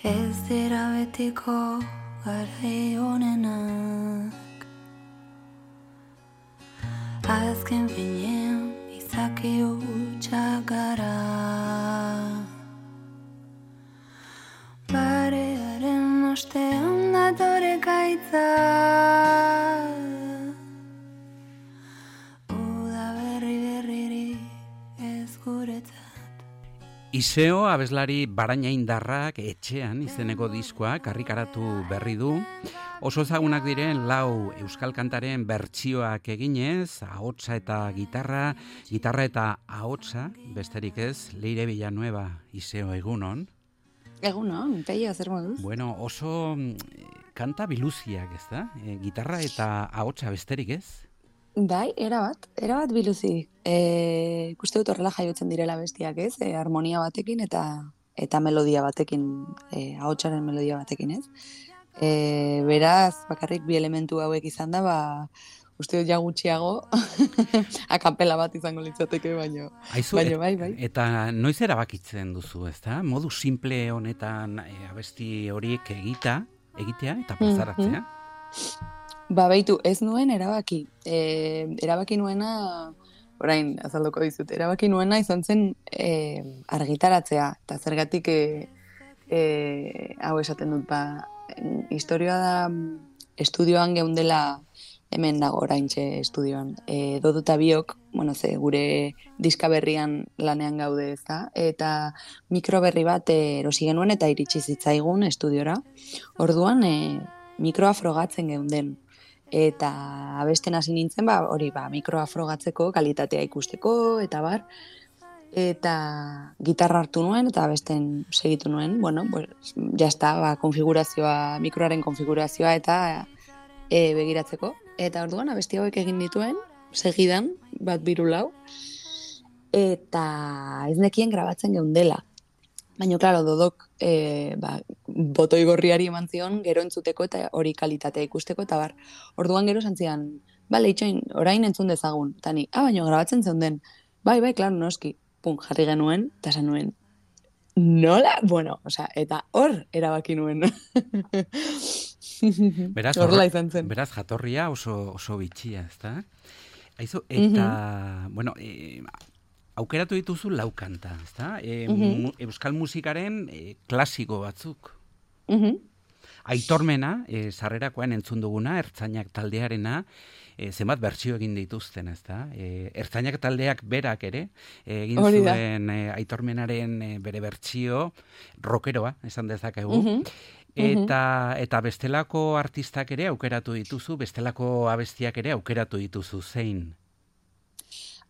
Ez dira betiko garai honenak, azken finean izaki hutsak gara. Barearen ostean datore gaitza, uda berririk ez guretzat. Iseo abeslari barainaindarrak etxean izeneko diskoak argitaratu berri du. Oso ezagunak diren 4 euskal kantaren bertsioak eginez, ahotsa eta gitarra eta ahotsa, besterik ez, Leire Villanueva. Iseo, egunon. Egunon, peio, zer moduz? Bueno, oso kanta biluziak, ez da? Gitarra eta ahotsa besterik ez? Bai, erabat biluzi. Ikuste dut horrela jaiotzen direla bestiak, ez? Harmonia batekin eta melodia batekin, ahotsaren melodia batekin, ez? Beraz, bakarrik bi elementu hauek izan da, uste dut ja gutxiago akapela bat izango litzateke, baino bai. Eta noiz erabakitzen duzu, ezta? Modu simple honetan abesti horiek egitea eta plazaratzea? Baitu, ez nuen erabaki. Erabaki nuena, orain azalduko dizut, erabaki nuena izan zen argitaratzea. Eta zergatik hau esaten dut, historioa da estudioan geundela, hemen dago oraintxe estudioan. Dodo eta biok, gure diska berrian lanean gaude, ez da? Eta mikro berri bat erosi genuen eta iritsi zitzaigun estudiora. Orduan, mikroa frogatzen geunden. Eta abesten hasi nintzen, mikroa frogatzeko, kalitatea ikusteko, eta bar. Eta gitarra hartu nuen, eta abesten segitu nuen, jazta, konfigurazioa, mikroaren konfigurazioa, eta begiratzeko. Eta orduan, abesti hauek egin dituen, segidan, 1-2-4, eta ez nekien grabatzen geundela. Baina, klaro, Dodok botoi gorriari eman zion, gero entzuteko eta hori kalitatea ikusteko, eta bar, orduan gero santzian, itxoin, orain entzun dezagun, eta ni, baina grabatzen zeunden, bai, klaro, noski, jarri genuen, eta esan nuen, nola? Eta hor erabaki nuen. Horrela izan zen. Beraz, jatorria oso bitxia, ezta? Aizu, eta, aukeratu dituzu 4 kanta, ezta? Euskal musikaren klasiko batzuk. Aitormena, sarrerakoan entzun duguna, Ertzainak taldearena, zenbat bertsio egin dituzten, ezta? Ertzainak taldeak berak ere, egin zuen Aitormenaren bere bertsio rockeroa, esan dezakegu. Eta bestelako artistak ere aukeratu dituzu, bestelako abestiak ere aukeratu dituzu, zein?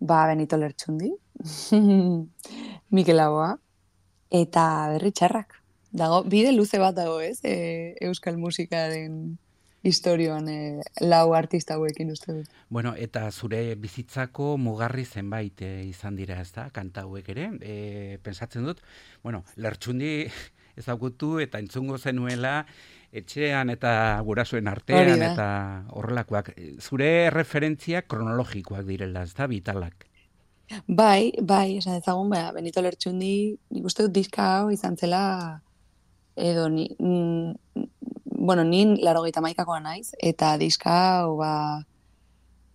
Benito Lertxundi, Mikel Laboa, eta Berri Txarrak. Dago, bide luze bat dago, ez? Euskal musikaren historioan 4 artista hauekin uste dut. Bueno, eta zure bizitzako mugarri zenbait izan dira, ez da? Kanta hauek ere. Pentsatzen dut, Lertxundi ezagutu eta entzungo zenuela etxean eta gurasoen artean eta horrelakoak. Zure referentziak kronologikoak direla, ez da, vitalak? Bai, esan ezagun, Benito Lertxundi, nik uste dut diska hau izan zela, edo nin 81koa naiz, eta diska hau,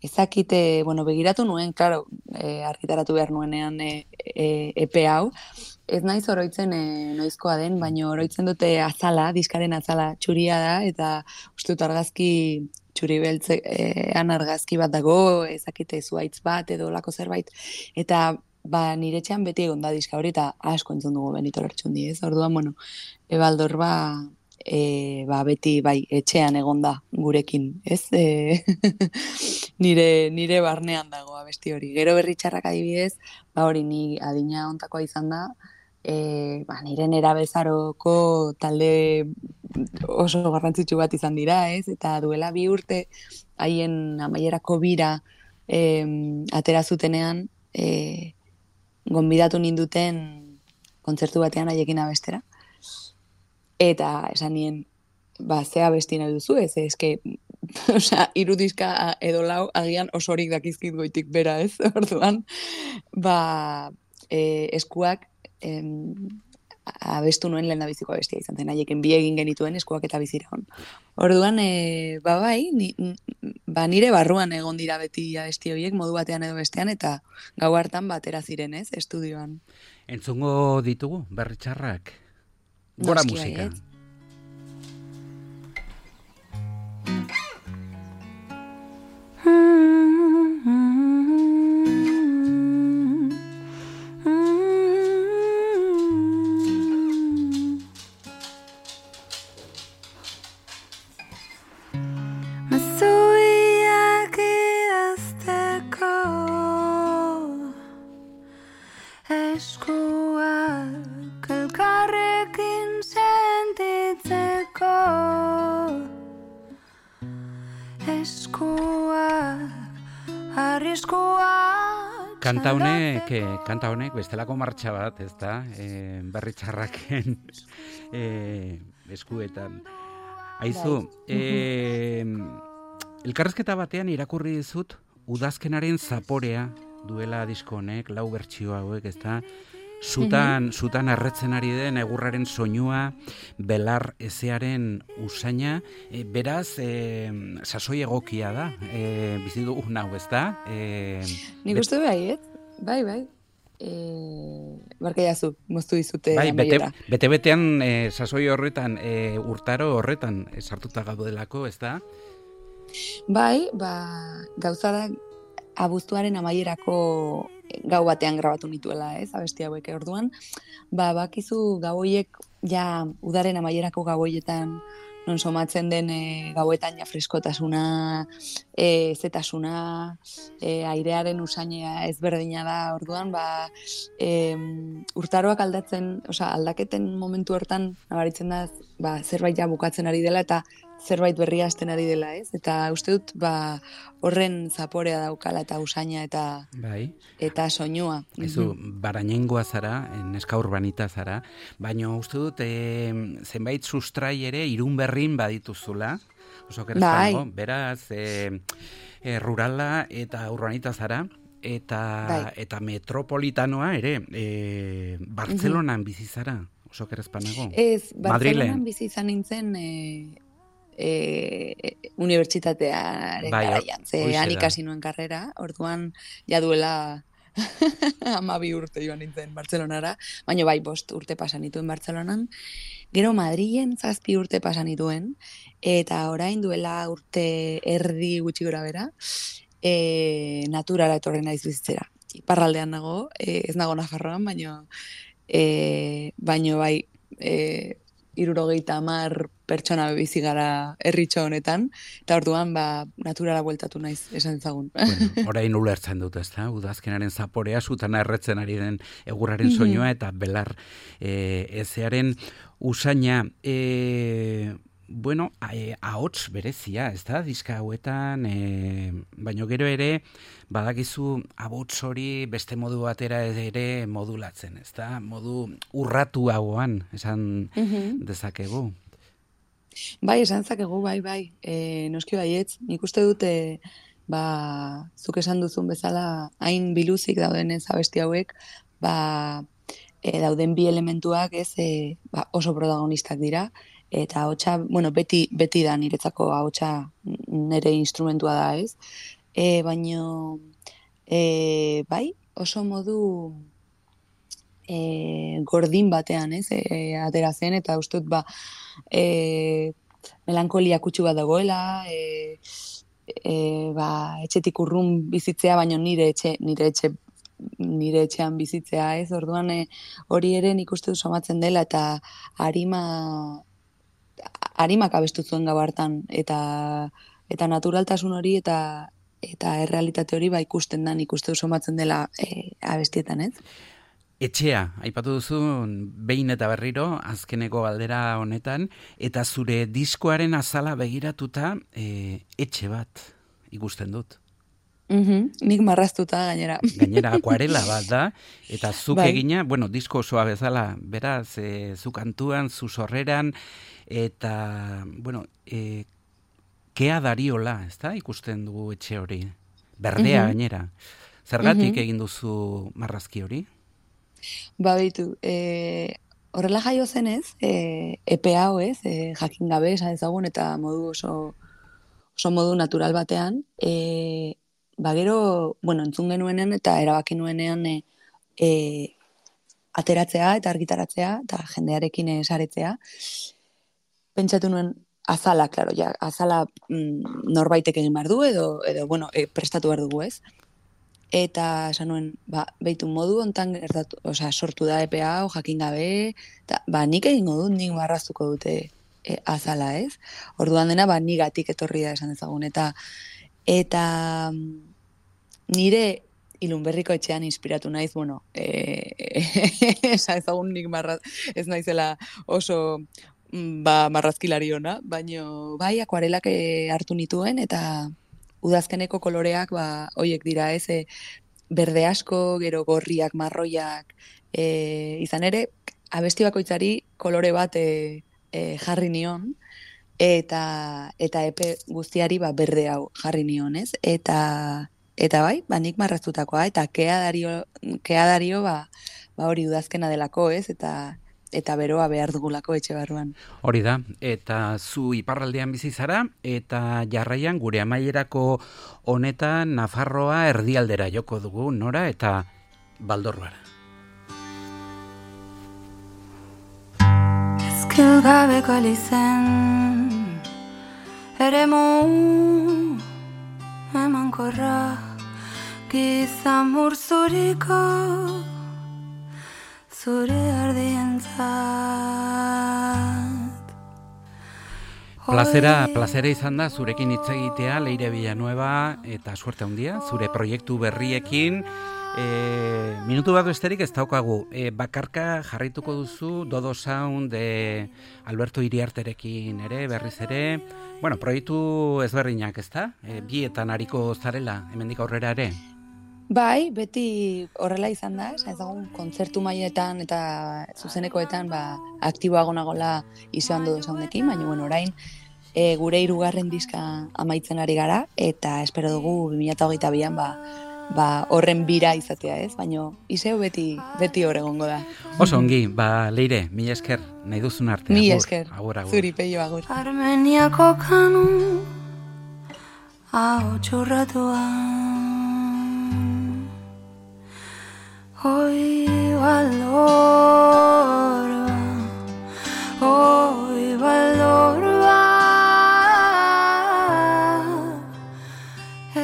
ezakite, begiratu nuen, klaro, argitaratu behar nuenean epe hau, ez naiz oroitzen noizkoa den, baina oroitzen dute azala, diskaren azala txuria da, eta uste dut argazki txuri beltzean argazki bat dago, ezakite zuaitz bat edo lako zerbait, eta nire etxean beti egon da diska hori, eta asko entzun dugu Benito Lertxundi, ez? Orduan, Ebaldor beti etxean egon da gurekin, ez? Nire barnean dago abesti hori. Gero Berri Txarrak adibidez, hori ni adina ontakoa izan da, nire nerabezaroko talde oso garrantzitsu bat izan dira, ez? Eta duela 2 urte haien amaierako bira atera zutenean gonbidatu ninduten kontzertu batean haiekin abestera. Eta esan nien, ze abesti nahi duzu, ez? Eske, irudizka edo 4 agian osorik dakizkit goitik bera, ez? Orduan, eskuak abestu nuen lehen da biziko abestia izan zen, haieken bi egin genituen eskuak eta biziraun. Orduan, bai, nire barruan egon dira beti abesti horiek modu batean edo bestean, eta gau hartan batera ziren, ez, estudioan. Entzungo ditugu, berri txarrak? Gora musika. Eskuak elkarrekin sentitzeko, eskuak arriskuak. Kanta honek bestelako martxa bat, ez da, berri txarraken eskuetan. Aizu, elkarrezketa batean irakurri dizut udazkenaren zaporea duela disko honek, 4 bertsio hauek, ez da, zutan erretzen ari den egurraren soinua, belar ezearen usaina, beraz, sasoi egokia da, bizi dugun hau, ez da? Nik uste bai, bai. Barka jazu, moztu dizute amaiera. Bete-betean sasoi horretan, urtaro horretan sartuta gaudelako, ez da? Bai, gauza da, abuztuaren amaierako gau batean grabatu nituela, ez, abesti hauek orduan. Bakizu gau horiek, ja, udaren amaierako gau horietan, non somatzen den gauetan ja freskotasuna, zetasuna, airearen usainea ezberdina da, orduan, urtaroak aldaketen momentu hortan, nabaritzen da, zerbait ja bukatzen ari dela, eta zerbait berria hasten ari dela, ez? Eta uste dut, horren zaporea daukala eta usaina eta soinua. Ezu, barainengoa zara, neska urbanita zara, baina uste dut, zenbait sustrai ere irun berrin badituzula, oso kerezpango, beraz, rurala eta urbanita zara, eta metropolitanoa ere, Bartzelonan bizi zara, oso kerezpanago. Ez, Bartzelonan bizi izan nintzen, unibertsitatearen garaian. Han ikasi nuen karrera, orduan ja duela 12 urte joan nintzen Bartzelonara, baina 5 urte pasan nituen Bartzelonan. Gero Madrilen 7 urte pasan nituen, eta orain duela urte erdi gutxi gora bera, naturara etorri naiz bizitzera. Iparraldean nago, ez nago Nafarroan, baina bai, 70 pertsona bizi gara herritxo honetan, eta orduan naturara bueltatu naiz, esan ezagun. Bueno, orain ulertzen dut, ez da? Udazkenaren zaporea, zutana erretzen ari den egurraren soinua, eta belar ezearen usaina. Bueno, ahots berezia, ez da, diska hauetan, baino gero ere, badakizu ahots hori beste modu batera ere modulatzen, ez da, modu urratu hauan, esan dezakegu. Bai, esan dezakegu, bai, noski baietz, nik uste dute, zuk esan duzun bezala, hain biluzik dauden ez abesti hauek, dauden bi elementuak ez oso protagonistak dira, eta ahotsa, bueno, beti da niretzako ahotsa nire instrumentua da, ez? Baino, bai, oso modu gordin batean, ez? Atera zen, eta uste dut, melankolia kutsu bat dagoela, etxetik urrun bizitzea, baino nire etxean bizitzea, ez? Orduan, hori ere nik uste dut somatzen dela, eta harimak abestu zuen gau hartan, eta naturaltasun hori eta errealitate hori ikusten da, nik uste dut somatzen dela abestietan, ez? Etxea, aipatu duzu behin eta berriro, azkeneko galdera honetan, eta zure diskoaren azala begiratuta etxe bat ikusten dut. Nik marraztuta gainera. Gainera akuarela bat da, eta zuk egina, bueno, disko osoa bezala, beraz, zu kantuan, zu sorreran, eta, bueno, kea dariola, ez da, ikusten dugu etxe hori. Berdea gainera. Zergatik egin duzu marrazki hori? Baitu, horrela jaio zenez, epe hau ez, jakin gabe esan ezagun eta oso modu natural batean, gero, entzun genuenean eta erabaki nuenean ateratzea eta argitaratzea eta jendearekin saretzea. Pentsatu nuen azala, klaro, azala norbaitek egin behar du edo prestatu behar dugu ez. Eta esan nuen, behitu modu ontan sortu da EPA hau jakin gabe, eta nik egingo dut, nik marraztuko dute azala ez. Orduan dena, nigatik etorri da esan dezagun. Eta nire Ilunberriko etxean inspiratu naiz, esan ezagun nik ez naizela oso marrazkilari ona, baino akuarelak hartu nituen eta udazkeneko koloreak hoiek dira ez, berde asko, gero gorriak, marroiak, izan ere, abesti bakoitzari kolore bat jarri nion, eta epe guztiari berde hau jarri nion, ez? Eta nik marraztutakoa, eta kea dario hori udazkena delako, ez? Eta beroa behar dugulako etxe barruan. Hori da, eta zu iparraldean bizi zara, eta jarraian gure amaierako honetan Nafarroa erdialdera joko dugu, nora eta Baldorruara. Ezkil gabeko lizen eremu emankorra gizan murzuriko zure ardientzat. Plazera izan da zurekin hitz egitea, Leire Villanueva, eta suerte handia, zure proiektu berriekin. Minutu bat besterik ez daukagu. Bakarka jarrituko duzu Dodo Sound Alberto Iriarterekin ere, berriz ere. Proiektu ezberdinak, ezta? Bietan ariko zarela, hemendik aurrera ere. Bai, beti horrela izan da, ezagun kontzertu mailetan eta zuzenekoetan aktiboago nagola izan Dodo Soundekin, baina orain gure 3. diska amaitzen ari gara eta espero dugu 2022an horren bira izatea, ez? Baina izeo beti hor egongo da. Oso ongi, Leire, mila esker, nahi duzun arte. Mila esker, agur. Zuri peio agur. Armeniako kanu hau txurratuan hoy Baldorba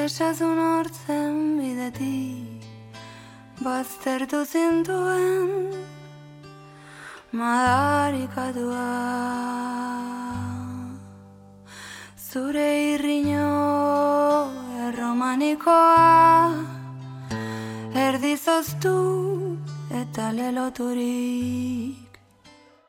esazun hortzen bidetik baztertu zintuen madarikatua zure irriño erromanikoa erdizoztu eta leloturik